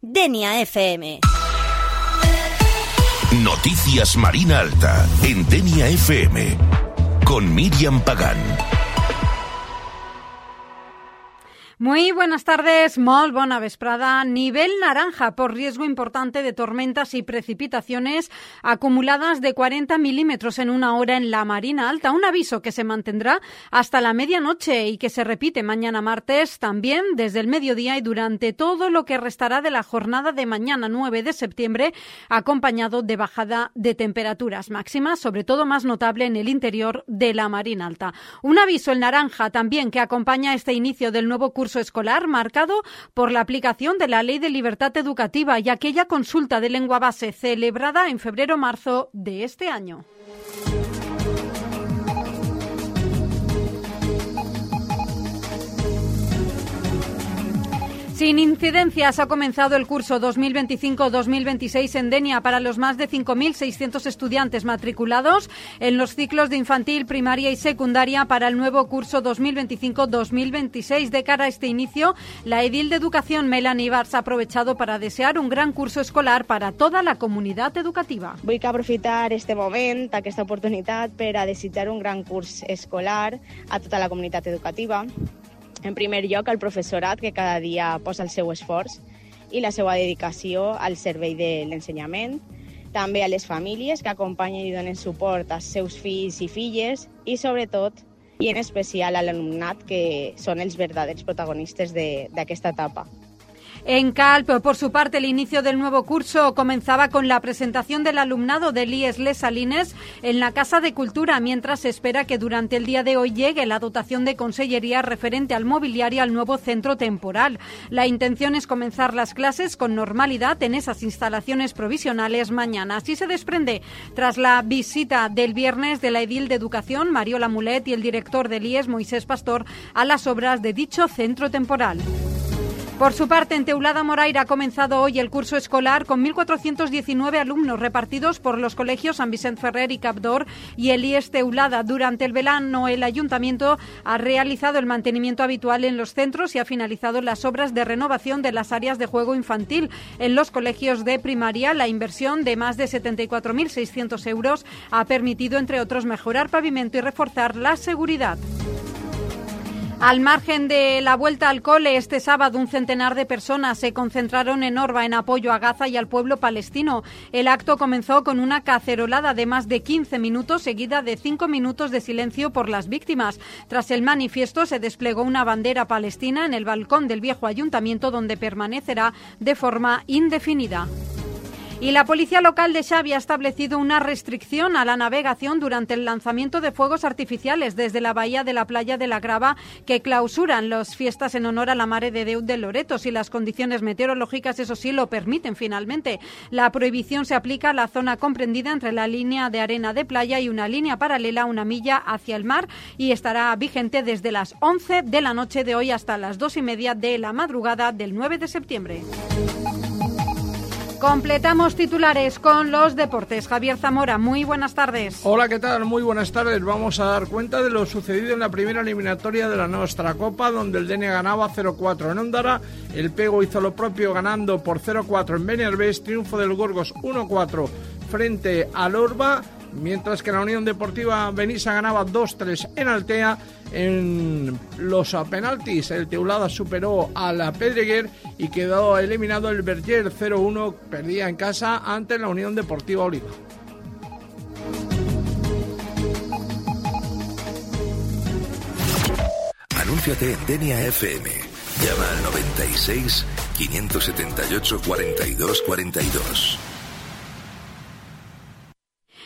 Denia FM. Noticias Marina Alta en Denia FM con Miriam Pagán. Muy buenas tardes, molt bona vesprada. Nivel naranja por riesgo importante de tormentas y precipitaciones acumuladas de 40 milímetros en una hora en la Marina Alta. Un aviso que se mantendrá hasta la medianoche y que se repite mañana martes, también desde el mediodía y durante todo lo que restará de la jornada de mañana 9 de septiembre, acompañado de bajada de temperaturas máximas, sobre todo más notable en el interior de la Marina Alta. Un aviso, el naranja, también que acompaña este inicio del nuevo curso escolar marcado por la aplicación de la Ley de Libertad Educativa y aquella consulta de lengua base celebrada en febrero-marzo de este año. Sin incidencias ha comenzado el curso 2025-2026 en Denia para los más de 5.600 estudiantes matriculados en los ciclos de infantil, primaria y secundaria para el nuevo curso 2025-2026. De cara a este inicio, la edil de Educación, Melanie Ibarz, ha aprovechado para desear un gran curso escolar para toda la comunitat educativa. Vull aprofitar este moment, aquesta oportunitat, per a desitjar un gran curs escolar a tota la comunitat educativa. En primer lloc, al professorat, que cada dia posa el seu esforç i la seva dedicació al servei de l'ensenyament. També a les famílies que acompanyen i donen suport als seus fills i filles i, sobretot, i en especial a l'alumnat, que són els verdaders protagonistes d'aquesta etapa. En Calp, por su parte, el inicio del nuevo curso comenzaba con la presentación del alumnado del IES Les Salines en la Casa de Cultura, mientras se espera que durante el día de hoy llegue la dotación de consellería referente al mobiliario al nuevo centro temporal. La intención es comenzar las clases con normalidad en esas instalaciones provisionales mañana. Así se desprende tras la visita del viernes de la edil de Educación, Mariola Mulet, y el director del IES, Moisés Pastor, a las obras de dicho centro temporal. Por su parte, en Teulada Moraira ha comenzado hoy el curso escolar con 1.419 alumnos repartidos por los colegios San Vicent Ferrer y Capdor y el IES Teulada. Durante el verano, el ayuntamiento ha realizado el mantenimiento habitual en los centros y ha finalizado las obras de renovación de las áreas de juego infantil. En los colegios de primaria, la inversión de más de 74.600 euros ha permitido, entre otros, mejorar pavimento y reforzar la seguridad. Al margen de la vuelta al cole, este sábado un centenar de personas se concentraron en Orba en apoyo a Gaza y al pueblo palestino. El acto comenzó con una cacerolada de más de 15 minutos, seguida de 5 minutos de silencio por las víctimas. Tras el manifiesto se desplegó una bandera palestina en el balcón del viejo ayuntamiento, donde permanecerá de forma indefinida. Y la policía local de Xavi ha establecido una restricción a la navegación durante el lanzamiento de fuegos artificiales desde la bahía de la playa de la Grava, que clausuran las fiestas en honor a la Mare de Déu de Loreto, si las condiciones meteorológicas, eso sí, lo permiten finalmente. La prohibición se aplica a la zona comprendida entre la línea de arena de playa y una línea paralela a una milla hacia el mar y estará vigente desde las 11 de la noche de hoy hasta las 2:30 de la madrugada del 9 de septiembre. Completamos titulares con los deportes. Javier Zamora, muy buenas tardes. Hola, ¿qué tal? Muy buenas tardes. Vamos a dar cuenta de lo sucedido en la primera eliminatoria de la Nostra Copa, donde el Denia ganaba 0-4 en Ondara, el Pego hizo lo propio ganando por 0-4 en Benerbés, triunfo del Gorgos 1-4 frente al Orba, mientras que la Unión Deportiva Benissa ganaba 2-3 en Altea. En los penaltis, el Teulada superó a la Pedreguer y quedó eliminado el Berger 0-1, perdía en casa ante la Unión Deportiva Oliva. Anúnciate en Denia FM. Llama al 96 578 42 42.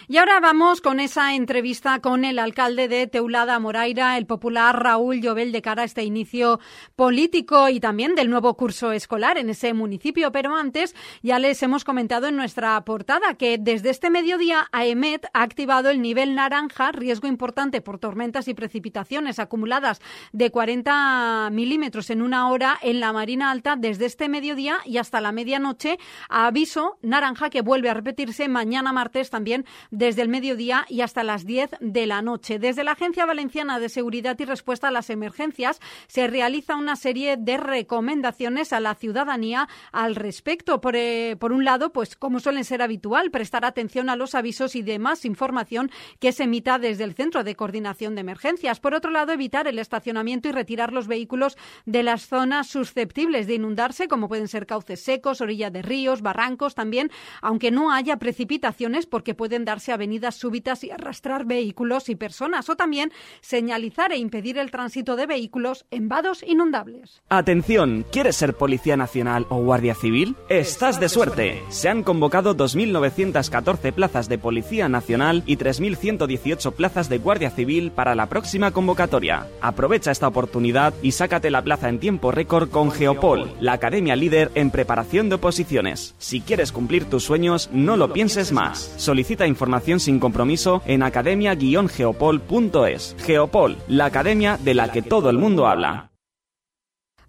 Y ahora vamos con esa entrevista con el alcalde de Teulada Moraira, el popular Raúl Llobell, de cara a este inicio político y también del nuevo curso escolar en ese municipio. Pero antes, ya les hemos comentado en nuestra portada que desde este mediodía AEMET ha activado el nivel naranja, riesgo importante por tormentas y precipitaciones acumuladas de 40 milímetros en una hora en la Marina Alta desde este mediodía y hasta la medianoche. Aviso naranja que vuelve a repetirse mañana martes también desde el mediodía y hasta las 10 de la noche. Desde la Agencia Valenciana de Seguridad y Respuesta a las Emergencias se realiza una serie de recomendaciones a la ciudadanía al respecto. Por un lado, pues como suelen ser habitual, prestar atención a los avisos y demás información que se emita desde el Centro de Coordinación de Emergencias. Por otro lado, evitar el estacionamiento y retirar los vehículos de las zonas susceptibles de inundarse, como pueden ser cauces secos, orilla de ríos, barrancos también, aunque no haya precipitaciones, porque pueden darse avenidas súbitas y arrastrar vehículos y personas, o también señalizar e impedir el tránsito de vehículos en vados inundables. Atención, ¿quieres ser Policía Nacional o Guardia Civil? Estás de suerte. Se han convocado 2.914 plazas de Policía Nacional y 3.118 plazas de Guardia Civil para la próxima convocatoria. Aprovecha esta oportunidad y sácate la plaza en tiempo récord con Geopol, la academia líder en preparación de oposiciones. Si quieres cumplir tus sueños, no lo pienses más. Solicita información sin compromiso en academia-geopol.es. Geopol, la academia de la que todo el mundo habla.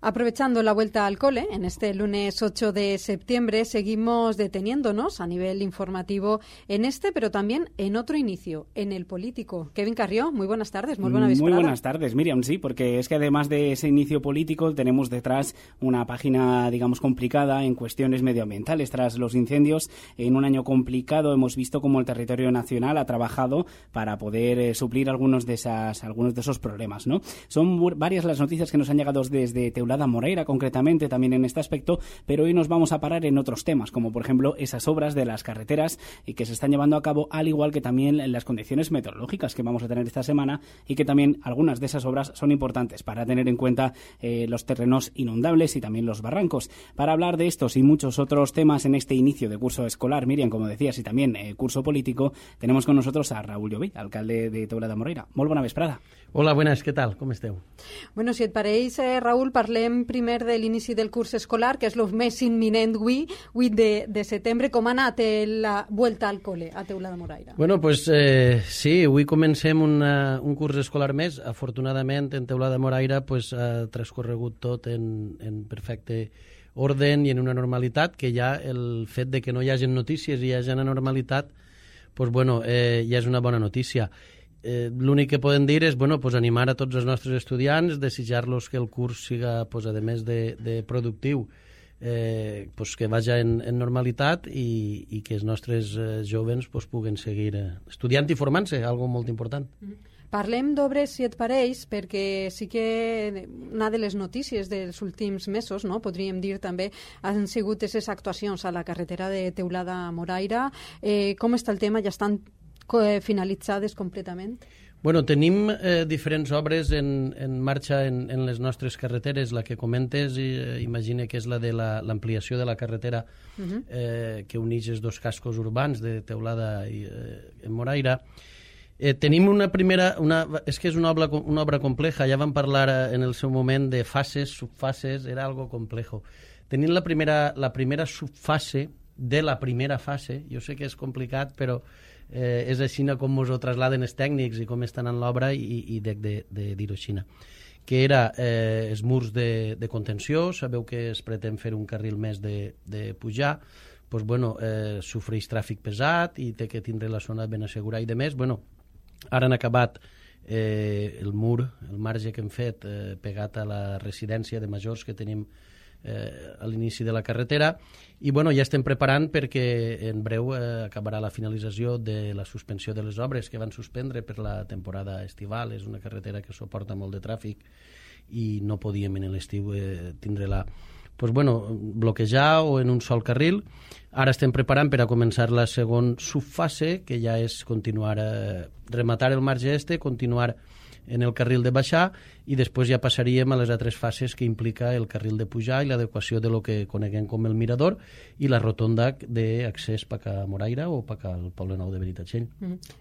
Aprovechando la vuelta al cole, en este lunes 8 de septiembre seguimos deteniéndonos a nivel informativo en este, pero también en otro inicio, en el político. Kevin Carrió, muy buenas tardes, muy buena vesprada. Muy buenas tardes, Miriam, sí, porque es que además de ese inicio político tenemos detrás una página, digamos, complicada en cuestiones medioambientales. Tras los incendios, en un año complicado, hemos visto cómo el territorio nacional ha trabajado para poder suplir algunos de esos problemas, ¿no? Son varias las noticias que nos han llegado desde Teulada Moreira, concretamente, también en este aspecto, pero hoy nos vamos a parar en otros temas, como por ejemplo esas obras de las carreteras y que se están llevando a cabo, al igual que también las condiciones meteorológicas que vamos a tener esta semana, y que también algunas de esas obras son importantes para tener en cuenta los terrenos inundables y también los barrancos. Para hablar de estos y muchos otros temas en este inicio de curso escolar, Miriam, como decías, y también curso político, tenemos con nosotros a Raúl Llobí, alcalde de Teulada Moreira. Molt bona vesprada. Hola, buenas, què tal? Com esteu? Bueno, si et pareix, Raúl, parlem primer de l'inici del curs escolar, que és el més imminent avui, 8 de setembre. Com ha anat la vuelta al cole a Teulada Moreira? Bueno, pues sí, avui comencem un curs escolar més. Afortunadament, en Teulada Moreira pues, ha transcorregut tot en perfecte orden i en una normalitat, que ja el fet de que no hi hagi notícies i hi hagi una normalitat, pues, bueno, ja és una bona notícia. L'únic que podem dir és animar a tots els nostres estudiants, desitjar-los que el curs siga, a més de productiu, que vagi en normalitat i que els nostres jovens puguen seguir estudiant i formant-se, algo molt important. Parlem d'obres, si et pareix, perquè sí que una de les notícies dels últims mesos, no, podríem dir també, han sigut aquestes actuacions a la carretera de Teulada Moreira. Com està el tema? Ja estan finalitzades completament? Bueno, tenim diferents obres en marxa en les nostres carreteres. La que comentes, imagina que és la de l'ampliació de la carretera que uneix els dos cascos urbans de Teulada i Moreira. Tenim una primera... és que és una obra compleja. Ja vam parlar en el seu moment de fases, subfases, era algo complejo. Tenim la primera subfase de la primera fase. Jo sé que és complicat, però és així com ens ho trasladen els tècnics i com estan en l'obra, i de dir-ho així, que era els murs de contenció. Sabeu que es pretén fer un carril més de pujar, doncs, bueno, sofreix tràfic pesat i té que tindre la zona ben assegurada i de més. Bueno, ara han acabat el mur, el marge que hem fet pegat a la residència de majors que tenim a l'inici de la carretera, i bueno, ja estem preparant perquè en breu acabarà la finalització de la suspensió de les obres que van suspendre per la temporada estival. És una carretera que suporta molt de tràfic i no podíem en l'estiu tindre-la bloquejar o en un sol carril. Ara estem preparant per a començar la segona subfase, que ja és continuar rematar el marge continuar en el carril de baixar, i després ja passaríem a les altres fases que implica el carril de pujar i l'adequació de lo que coneguem com el mirador i la rotonda d'accés per a Moreira o per al Poble Nou de Benitatxell.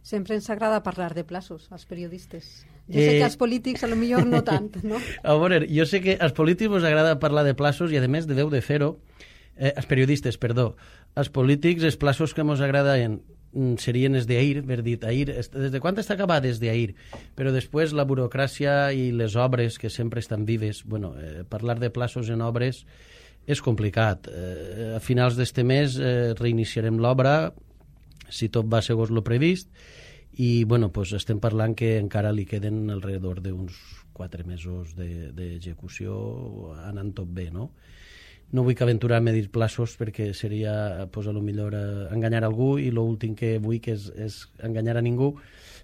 Sempre ens agrada parlar de plaços als periodistes. Jo sé que als polítics potser no tant, no? A veure, jo sé que als polítics us agrada parlar de plaços i a més deveu de fer-ho, als periodistes, perdó. Als polítics els plaços que ens agraden serien els d'ahir, ver dit, ahir, des de quan està acabat des d'ahir, però després la burocràcia i les obres que sempre estan vives, bueno, parlar de plaços en obres és complicat. A finals d'este mes reiniciarem l'obra si tot va segons lo previst, i bueno, pues estem parlant que encara li queden alrededor d'uns 4 mesos d'execució anant tot bé, no? No vull que aventurar-me a dir plaços perquè seria, pues, a lo millor enganyar algú, i l'últim que vull que és enganyar a ningú.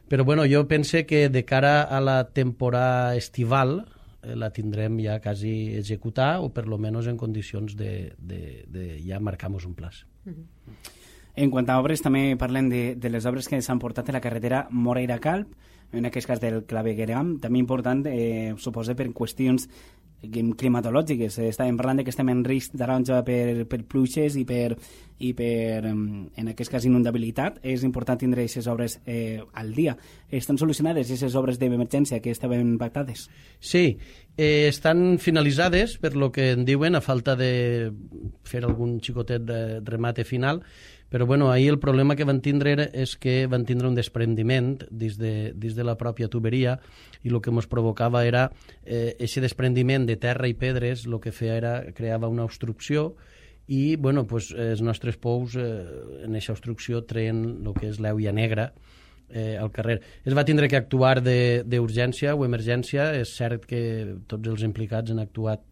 Però bueno, jo pense que de cara a la temporada estival la tindrem ja quasi executar, o per lo menos en condicions de ja marcar-nos un plaç. En quant a obres, també parlem de les obres que s'han portat a la carretera Moreira-Calp, en aquest cas del clavegueram, també important, suposa per qüestions climatològiques. Estàvem parlant que estem en risc taronja per pluixes i per en aquest cas inundabilitat. És important tindre aquestes obres al dia. Estan solucionades aquestes obres d'emergència que estaven pactades? Sí, estan finalitzades per lo que en diuen, a falta de fer algun xicotet de remate final. Però bueno, ahir el problema que van tindre és que van tindre un desprendiment dins de la pròpia tuberia, i el que ens provocava era aquest desprendiment de terra i pedres, el que feia era creava una obstrucció, i bueno, pues, els nostres pous en aquesta obstrucció treien el que és l'euia negra al carrer. Es va tindre que actuar d'urgència o emergència. És cert que tots els implicats han actuat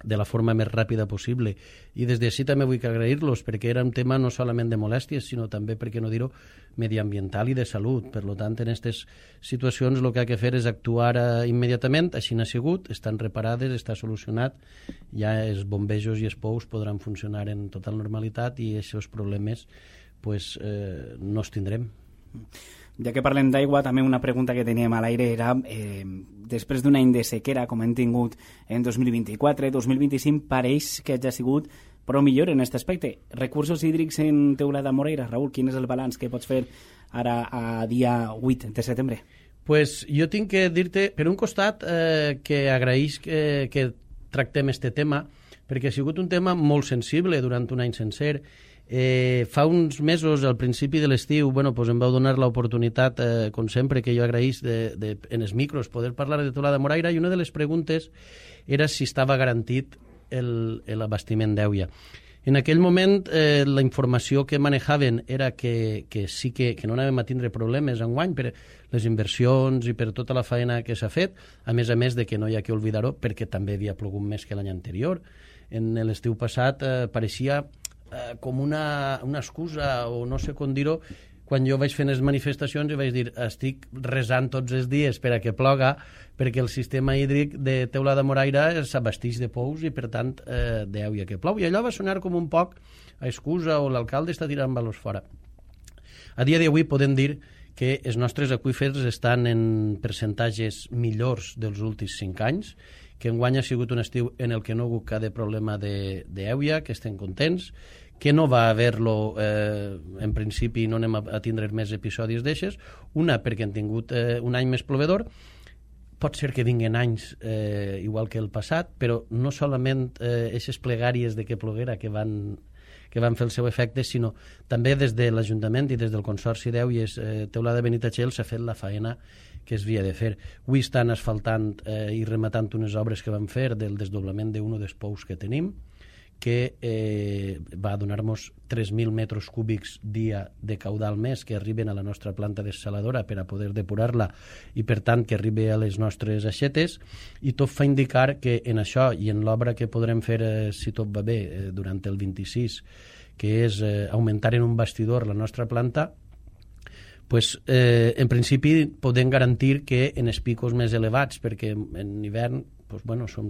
de la forma més ràpida possible, i des d'ací també vull que agrair-los, perquè era un tema no solament de molèsties, sinó també, per què no dir-ho, mediambiental i de salut. Per tant, en aquestes situacions el que ha de fer és actuar immediatament. Així n'ha sigut, estan reparades, està solucionat, ja els bombejos i els pous podran funcionar en total normalitat, i aquests problemes pues, no els tindrem. Ja que parlem d'aigua, també una pregunta que teníem a l'aire era, després d'un any de sequera, com hem tingut en 2024, 2025 pareix que hagi sigut prou millor en aquest aspecte. Recursos hídrics en Teulada Moreira, Raül, quin és el balanç que pots fer ara a dia 8 de setembre? Pues jo tinc que dir-te, per un costat, que agraïs que tractem este tema, perquè ha sigut un tema molt sensible durant un any sencer. Fa uns mesos, al principi de l'estiu, bueno, pues em vau donar l'oportunitat, com sempre, que jo agraïs en els micros poder parlar de Teulada Moreira, i una de les preguntes era si estava garantit l'abastiment d'Euia. En aquell moment la informació que manejaven era que sí que no anàvem a tindre problemes enguany per les inversions i per tota la feina que s'ha fet, a més de que no hi ha que oblidar-ho perquè també havia plogut més que l'any anterior. En l'estiu passat pareixia com una excusa, o no sé com dir-ho, quan jo vaig fent les manifestacions i vaig dir estic resant tots els dies per a que ploga, perquè el sistema hídric de Teulada Moreira s'abasteix de pous i per tant d'Euia que plou, i allò va sonar com un poc a excusa, o l'alcalde està tirant valors fora. A dia d'avui podem dir que els nostres aqüífers estan en percentatges millors dels últims 5 anys, que enguany ha sigut un estiu en el que no ha hagut cap problema d'Euia, que estem contents, que no va haver-lo, en principi no anem a tindre més episodis d'eixes, una perquè han tingut un any més plovedor, pot ser que vinguen anys igual que el passat, però no solament aquestes plegàries de que ploguera que van fer el seu efecte, sinó també des de l'Ajuntament i des del Consorci d'Euies Teulada Benitatxell s'ha fet la faena que es havia de fer. Avui estan asfaltant i rematant unes obres que vam fer del desdoblament d'un dels pous que tenim, que va donar-nos 3.000 metres cúbics dia de caudal més que arriben a la nostra planta dessaladora per a poder depurar-la, i per tant que arribi a les nostres aixetes, i tot fa indicar que en això i en l'obra que podrem fer, si tot va bé, durant el 26, que és augmentar en un bastidor la nostra planta, pues, en principi podem garantir que en els picos més elevats, perquè en hivern pues, bueno, som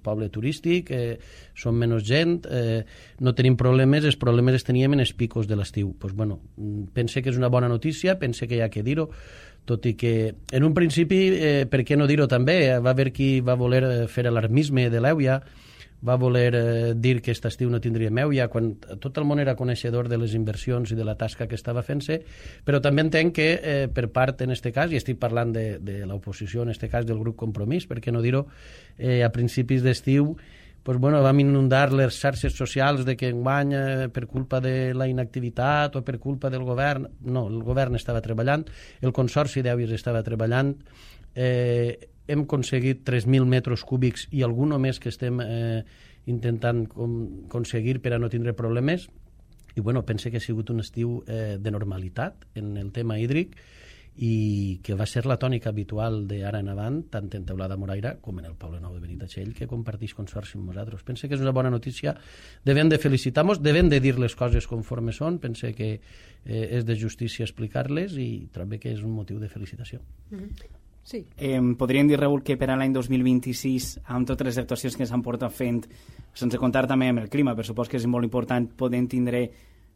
poble turístic, som menys gent, no tenim problemes, els problemes els teníem en els picos de l'estiu. Pues, bueno, pense que és una bona notícia, pense que hi ha que dir-ho, tot i que en un principi, per què no dir-ho també, va haver qui va voler fer alarmisme de l'Euia, va voler dir que aquest estiu no tindríem Euia, quan tot el món era coneixedor de les inversions i de la tasca que estava fent-se, però també entenc que per part, en aquest cas, i estic parlant de l'oposició, en aquest cas del grup Compromís, per què no dir-ho, a principis d'estiu pues, bueno, vam inundar les xarxes socials de que enguany per culpa de la inactivitat o per culpa del govern. No, el govern estava treballant, el Consorci d'Euies estava treballant, hem aconseguit 3.000 metres cúbics i algun més que estem intentant aconseguir per a no tindre problemes. i bueno, pense que ha sigut un estiu de normalitat en el tema hídric i que va ser la tònica habitual d'ara en avant, tant en Teulada Moraira com en el Poble Nou de Benitatxell, que comparteix consorci amb nosaltres. Pense que és una bona notícia, devem de felicitar-nos, devem de dir les coses conforme són, pense que és de justícia explicar-les i també que és un motiu de felicitació. Sí. Podríem dir, Raül, que per a l'any 2026, amb totes les actuacions que s'han portat fent, sense comptar també amb el clima, per supòs que és molt important, podem tindre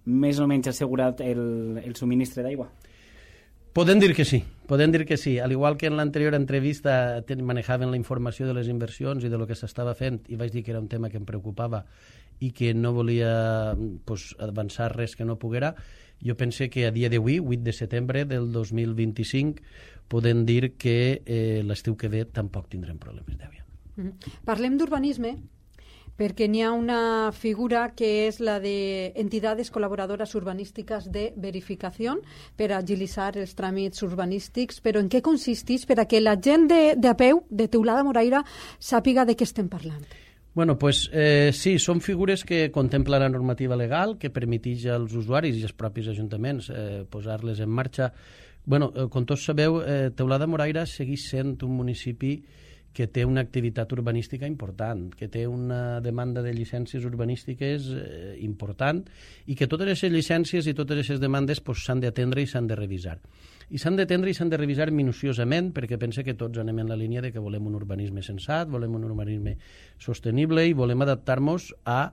més o menys assegurat el subministre d'aigua? Podem dir que sí. Al igual que en l'anterior entrevista manejaven la informació de les inversions i de lo que s'estava fent, i vaig dir que era un tema que em preocupava i que no volia avançar res que no poguera, jo pense que a dia d'avui, 8 de setembre del 2025, podem dir que l'estiu que ve tampoc tindrem problemes d'aigua. Parlem d'urbanisme, perquè n'hi ha una figura que és la de entidades col·laboradores urbanístiques de verificació per agilitzar els tràmits urbanístics, però en què consisteix per a que la gent de a peu, de Teulada Moraira, sàpiga de què estem parlant? Bueno, pues sí, són figures que contempla la normativa legal, que permeteix als usuaris i als propis ajuntaments posar-les en marxa. Bueno, com tots sabeu, Teulada Moraira segueix sent un municipi que té una activitat urbanística important, que té una demanda de llicències urbanístiques important i que totes aquestes llicències i totes aquestes demandes s'han d'atendre i s'han de revisar. I s'han d'atendre i s'han de revisar minuciosament perquè pense que tots anem en la línia de que volem un urbanisme sensat, volem un urbanisme sostenible i volem adaptar-nos a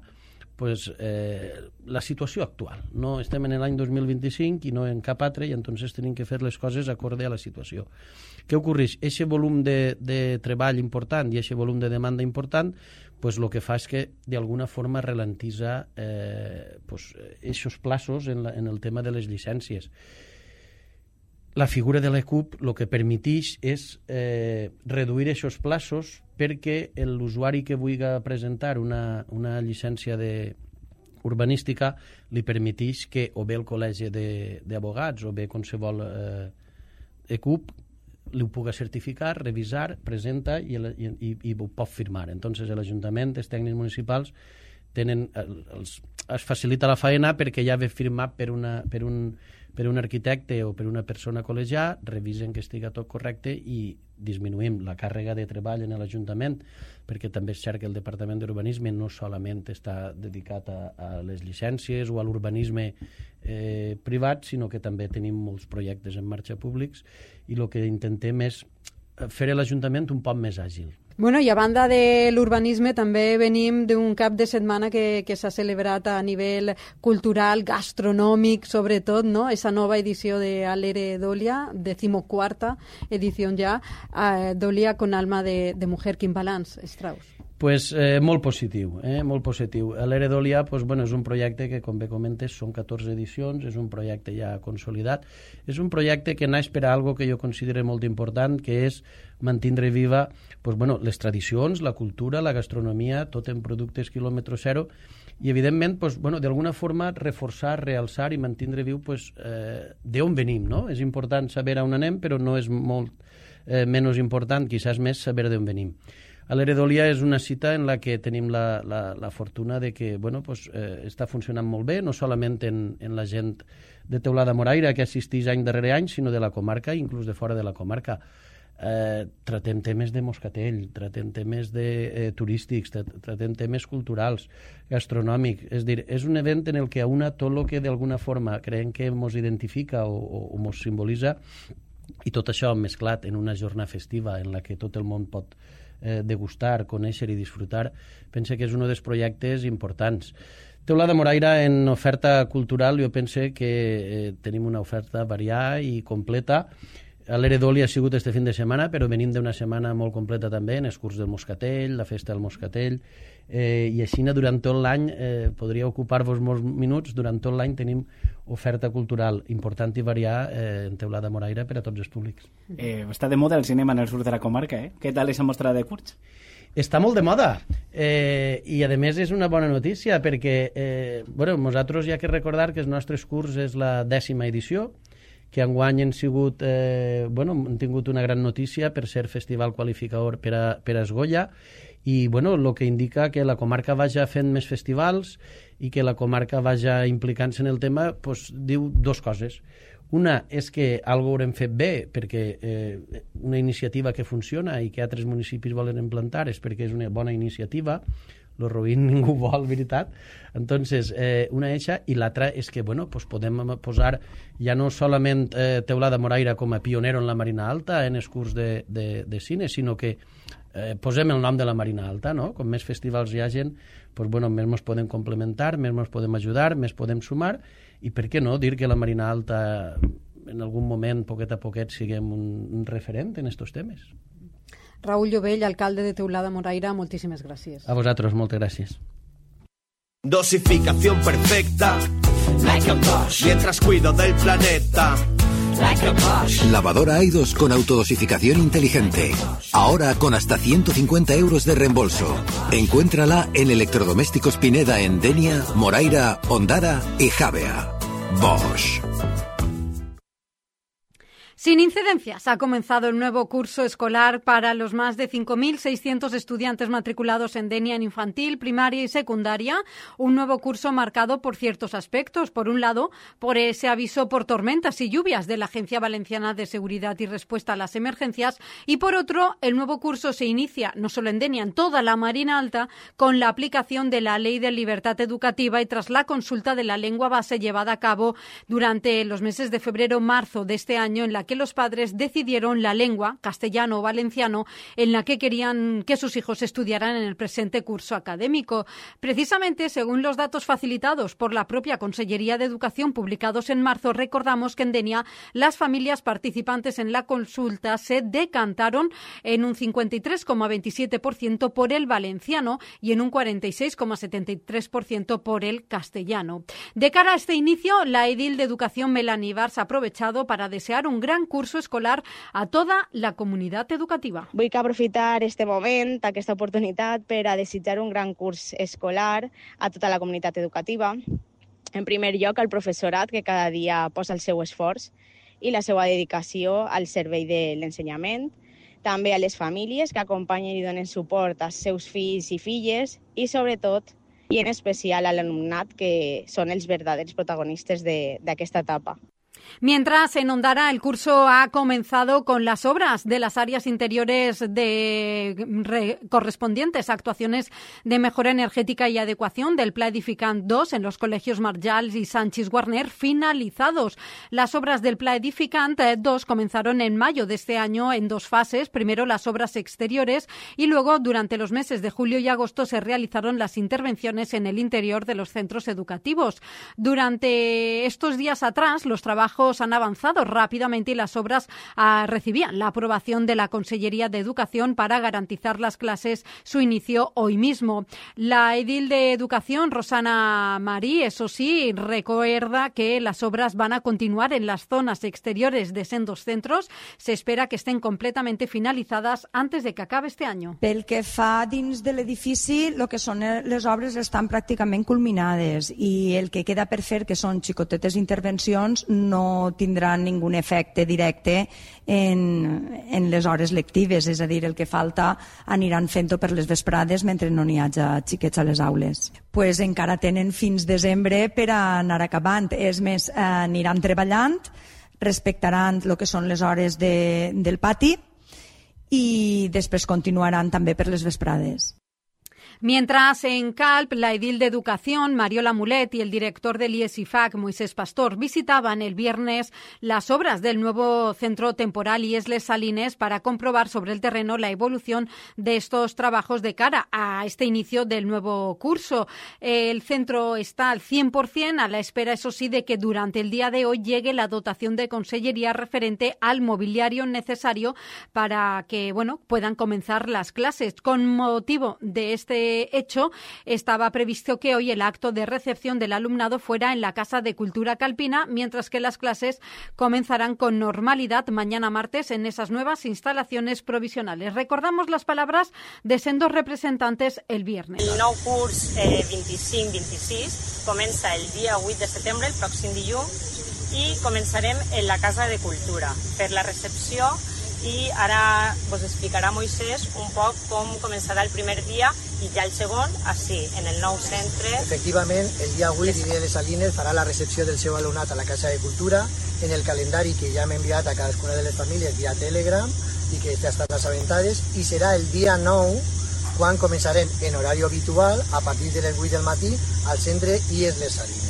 la situació actual. No estem en l'any 2025 i no en cap altre i entonces tenim que fer les coses acorde a la situació. Què ocorreix? Eixe volum de treball important i eixe volum de demanda important el que fa és que d'alguna forma ralentitza eixos plaços en el tema de les llicències. La figura de l'ECUP el que permeteix és reduir aquests plaços perquè l'usuari que vulgui presentar una llicència urbanística li permeteix que o bé el col·legi d'abogats o bé qualsevol ECUP li ho pugui certificar, revisar, presenta i ho pot firmar. Entonces l'Ajuntament, els tècnics municipals es facilita la faena perquè ja ve firmat per un arquitecte o per una persona col·legiada, revisen que estigui tot correcte i disminuïm la càrrega de treball en l'Ajuntament, perquè també és cert que el Departament d'Urbanisme no solament està dedicat a les llicències o a l'urbanisme privat, sinó que també tenim molts projectes en marxa públics i el que intentem és fer l'Ajuntament un poc més àgil. Bueno, i a banda de l'urbanisme també venim d'un cap de setmana que s'ha celebrat a nivell cultural, gastronòmic, sobretot, no? Esa nova edició de Alere Dolia, 14ª edició ja, Dolia con alma de mujer. Quin balanç, Strauss? Pues molt positiu, molt positiu. Alere Dolia és un projecte que, com bé comentes, són 14 edicions, és un projecte ja consolidat, és un projecte que naix per a algo que jo considero molt important, que és mantindre viva les tradicions, la cultura, la gastronomia, tot en productes quilòmetre zero, i evidentment d'alguna forma reforçar, realçar i mantindre viu d'on venim, no? És important saber on anem, però no és molt menys important, quizás més, saber d'on venim. Alere Dolia és una cita en la que tenim la fortuna de que està funcionant molt bé, no solament en la gent de Teulada Moraira, que assisteix any darrere any, sinó de la comarca, inclús de fora de la comarca. Tratem temes de moscatell, tratem temes turístics, tratem temes culturals, gastronòmics. És dir, és un event en el que aúna tot el que d'alguna forma creiem que ens identifica o ens simbolitza, i tot això mesclat en una jornada festiva en la que tot el món pot degustar, conèixer i disfrutar, pense que és un dels projectes importants. Teulada Moraira, en oferta cultural, jo pense que tenim una oferta variada i completa. Alere Dolia ha sigut este fin de setmana, però venim d'una setmana molt completa també, en el curs del Moscatell, la festa del Moscatell, i així durant tot l'any, podria ocupar-vos molts minuts, durant tot l'any tenim oferta cultural important i variada en Teulada Moraira per a tots els públics. Està de moda el cinema en el sud de la comarca, Què tal aquesta mostra de curts? Està molt de moda i a més és una bona notícia perquè nosaltres hi ha que recordar que el nostre curs és la 10ª edició, que enguany han tingut una gran notícia per ser festival qualificador per a Esgolla i bueno, el que indica que la comarca vagi fent més festivals i que la comarca vagi implicant-se en el tema, doncs, diu dues coses. Una és que algo haurem fet bé, perquè una iniciativa que funciona i que altres municipis volen implantar és perquè és una bona iniciativa, lo roïn ningú vol, veritat. Entonces, una eixa, i l'altra és que, bueno, pues podem posar ja no solament Teulada Moraira com a pionero en la Marina Alta en els curs de cine, sinó que posem el nom de la Marina Alta, no? Com més festivals hi hagin, pues, bueno, més ens podem complementar, més ens podem ajudar, més podem sumar, i per què no dir que la Marina Alta en algun moment, poquet a poquet, siguem un referent en estos temes. Raúl Llovell, alcalde de Teulada Moraira, moltíssimes gràcies. A vosaltres, moltes gràcies. Dosificación perfecta, like a Bosch, mientras cuido del planeta. Like a Bosch. Lavadora Aidos con autodosificación inteligente. Ahora con hasta 150 euros de reembolso. Encuéntrala en Electrodomésticos Pineda en Denia, Moraira, Ondara y Javea. Bosch. Sin incidencias, ha comenzado el nuevo curso escolar para los más de 5.600 estudiantes matriculados en Denia en infantil, primaria y secundaria. Un nuevo curso marcado por ciertos aspectos. Por un lado, por ese aviso por tormentas y lluvias de la Agencia Valenciana de Seguridad y Respuesta a las Emergencias. Y por otro, el nuevo curso se inicia, no solo en Denia, en toda la Marina Alta, con la aplicación de la Ley de Libertad Educativa y tras la consulta de la lengua base llevada a cabo durante los meses de febrero-marzo de este año, en la que los padres decidieron la lengua, castellano o valenciano, en la que querían que sus hijos estudiaran en el presente curso académico. Precisamente, según los datos facilitados por la propia Consellería de Educación publicados en marzo, recordamos que en Denia las familias participantes en la consulta se decantaron en un 53,27% por el valenciano y en un 46,73% por el castellano. De cara a este inicio, la edil de Educación, Melanie Bars, ha aprovechado para desear un gran curso escolar a toda la comunitat educativa. Vull aprofitar este moment, aquesta oportunitat, per a desitjar un gran curs escolar a tota la comunitat educativa. En primer lloc, al professorat, que cada dia posa el seu esforç i la seva dedicació al servei de l'ensenyament. També a les famílies que acompanyen i donen suport als seus fills i filles i, sobretot, i en especial a l'alumnat, que són els verdaders protagonistes d'aquesta etapa. Mientras, en Ondara, el curso ha comenzado con las obras de las áreas interiores correspondientes a actuaciones de mejora energética y adecuación del Pla Edificant 2 en los colegios Marjals y Sanchis Guarner finalizados. Las obras del Pla Edificant 2 comenzaron en mayo de este año en dos fases. Primero las obras exteriores y luego, durante los meses de julio y agosto, se realizaron las intervenciones en el interior de los centros educativos. Durante estos días atrás, los trabajos han avanzado rápidamente y las obras recibían la aprobación de la Consellería de Educación para garantizar las clases su inicio hoy mismo. La edil de Educación, Rosana Marí, eso sí, recuerda que las obras van a continuar en las zonas exteriores de sendos centros. Se espera que estén completamente finalizadas antes de que acabe este año. Pel que fa dins de l'edifici, el que són les obres estan pràcticament culminades i el que queda per fer, que són xicotetes intervencions, no tindran ningú efecte directe en les hores lectives, és a dir, el que falta aniran fent-ho per les vesprades mentre no n'hi hagi xiquets a les aules. Pues encara tenen fins desembre per anar acabant. És més, aniran treballant, respectaran el que són les hores del pati i després continuaran també per les vesprades. Mientras, en Calp, la edil de Educación, Mariola Mulet, y el director del IES-IFAC, Moisés Pastor, visitaban el viernes las obras del nuevo centro temporal IES-Les Salines para comprobar sobre el terreno la evolución de estos trabajos de cara a este inicio del nuevo curso. El centro está al 100%, a la espera, eso sí, de que durante el día de hoy llegue la dotación de consellería referente al mobiliario necesario para que, puedan comenzar las clases. Con motivo de este hecho, estaba previsto que hoy el acto de recepción del alumnado fuera en la Casa de Cultura Calpina, mientras que las clases comenzarán con normalidad mañana martes en esas nuevas instalaciones provisionales. Recordamos las palabras de sendos representantes el viernes. El nou curs 25-26 comença el dia 8 de setembre, el pròxim dilluns, i començarem en la Casa de Cultura per la recepció i ara vos explicarà Moisès un poc com començarà el primer dia i ja el segon, així, en el nou centre. Efectivament, el dia 8 l'Iria de Salines farà la recepció del seu alumnat a la Casa de Cultura en el calendari que ja hem enviat a cadascuna de les famílies via Telegram i que ja estan assabentades, i serà el dia 9 quan començarem en horari habitual a partir de les 8 del matí al centre IES Les Salines.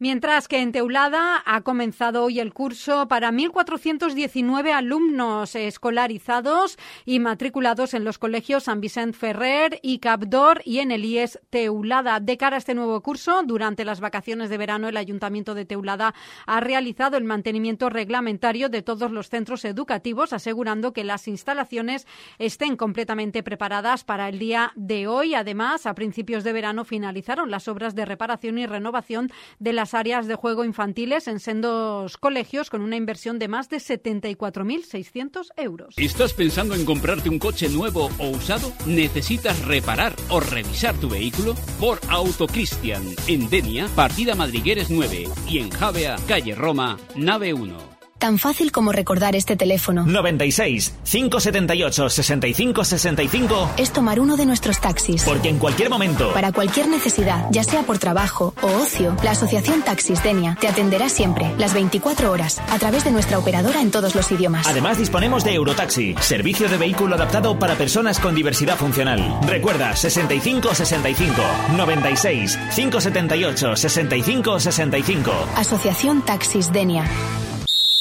Mientras que en Teulada ha comenzado hoy el curso para 1.419 alumnos escolarizados y matriculados en los colegios San Vicent Ferrer y Capdor y en el IES Teulada. De cara a este nuevo curso, durante las vacaciones de verano, el Ayuntamiento de Teulada ha realizado el mantenimiento reglamentario de todos los centros educativos, asegurando que las instalaciones estén completamente preparadas para el día de hoy. Además, a principios de verano finalizaron las obras de reparación y renovación de las áreas de juego infantiles en sendos colegios con una inversión de más de 74.600 euros. ¿Estás pensando en comprarte un coche nuevo o usado? ¿Necesitas reparar o revisar tu vehículo? Por Autocristian, en Denia, partida Madrigueres 9 y en Javea, calle Roma, nave 1. Tan fácil como recordar este teléfono. 96 578 65 65 es tomar uno de nuestros taxis. Porque en cualquier momento, para cualquier necesidad, ya sea por trabajo o ocio, la Asociación Taxis Denia te atenderá siempre, las 24 horas, a través de nuestra operadora en todos los idiomas. Además disponemos de Eurotaxi, servicio de vehículo adaptado para personas con diversidad funcional. Recuerda, 65 65 96 578 65 65. Asociación Taxis Denia.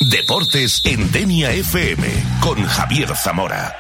Deportes en Denia FM con Javier Zamora.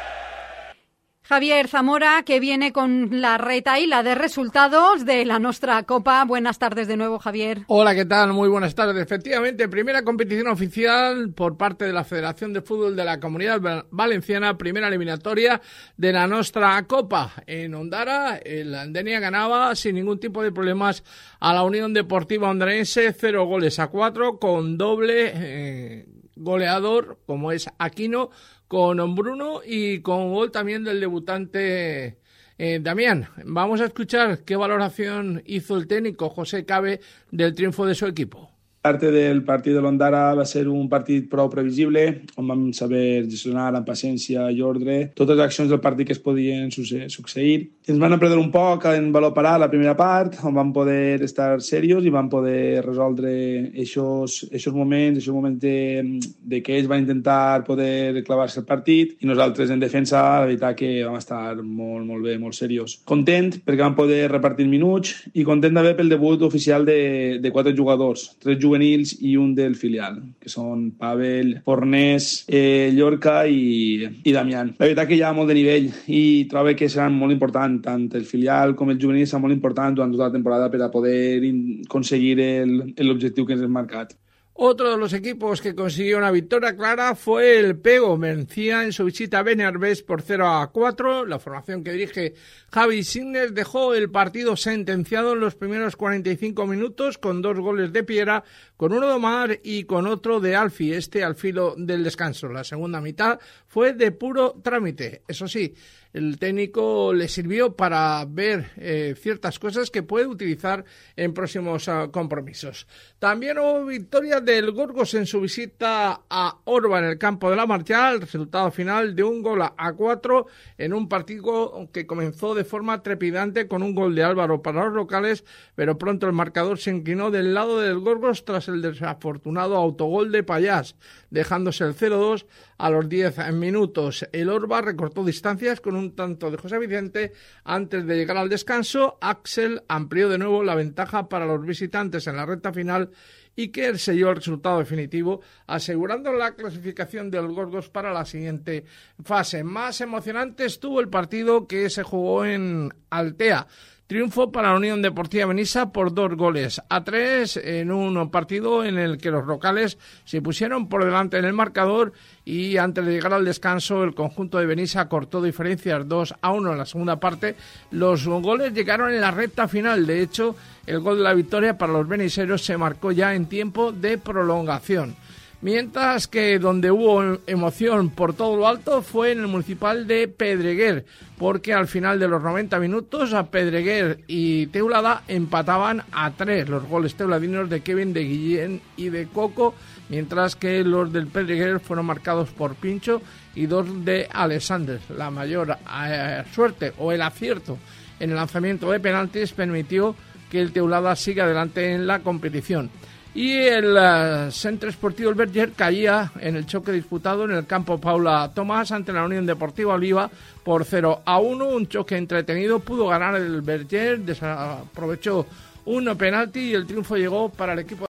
Javier Zamora, que viene con la retahíla de resultados de la Nostra Copa. Buenas tardes de nuevo, Javier. Hola, ¿qué tal? Muy buenas tardes. Efectivamente, primera competición oficial por parte de la Federación de Fútbol de la Comunidad Valenciana, primera eliminatoria de la Nostra Copa. En Ondara, el Denia ganaba sin ningún tipo de problemas a la Unión Deportiva Ondarense, 0-4, con doble goleador, como es Aquino, con Bruno y con gol también del debutante Damián. Vamos a escuchar qué valoración hizo el técnico José Cabe del triunfo de su equipo. Parte del partit de l'Ondara va ser un partit prou previsible, on vam saber gestionar amb paciència i ordre totes les accions del partit que es podien succeir. Ens van aprendre un poc en valor parat la primera part, on vam poder estar serios i vam poder resoldre aquests moments de que ells van intentar poder clavar-se el partit i nosaltres en defensa, la veritat que vam estar molt bé, molt serios. Content perquè vam poder repartir minuts i content d'haver pel debut oficial de 4 jugadors, 3 juvenils i un del filial, que són Pavel, Fornés, Llorca i Damián. La veritat que hi ha molt de nivell i trobo que seran molt importants, tant el filial com el juvenil seran molt importants durant tota la temporada per a poder aconseguir l'objectiu que ens hem marcat. Otro de los equipos que consiguió una victoria clara fue el Pego. Vencía en su visita a Beniarbés por 0-4. La formación que dirige Javi Signes dejó el partido sentenciado en los primeros 45 minutos con 2 goles de Piera, con uno de Omar y con otro de Alfi, al filo del descanso. La segunda mitad fue de puro trámite. Eso sí, el técnico le sirvió para ver ciertas cosas que puede utilizar en próximos compromisos. También hubo victoria del Gorgos en su visita a Orba en el campo de la Marchal, resultado final de 1-4 en un partido que comenzó de forma trepidante con un gol de Álvaro para los locales, pero pronto el marcador se inclinó del lado del Gorgos tras el desafortunado autogol de Payás, dejándose el 0-2 a los 10 minutos. El Orba recortó distancias con un tanto de José Vicente antes de llegar al descanso. Axel amplió de nuevo la ventaja para los visitantes en la recta final y que selló el resultado definitivo, asegurando la clasificación del Gorgos para la siguiente fase. Más emocionante estuvo el partido que se jugó en Altea. Triunfo para la Unión Deportiva Benissa por 2-3 en un partido en el que los locales se pusieron por delante en el marcador y antes de llegar al descanso el conjunto de Benissa cortó diferencias 2-1 en la segunda parte. Los goles llegaron en la recta final. De hecho, el gol de la victoria para los beniseros se marcó ya en tiempo de prolongación. Mientras que donde hubo emoción por todo lo alto fue en el municipal de Pedreguer, porque al final de los 90 minutos a Pedreguer y Teulada empataban a 3 los goles teuladinos de Kevin, de Guillén y de Coco, mientras que los del Pedreguer fueron marcados por Pincho y 2 de Alexander. La mayor suerte o el acierto en el lanzamiento de penaltis permitió que el Teulada siga adelante en la competición. Y el Centre Esportiu El Verger caía en el choque disputado en el campo Paula Tomás ante la Unión Deportiva Oliva por 0-1, un choque entretenido. Pudo ganar el Verger, desaprovechó un penalti y el triunfo llegó para el equipo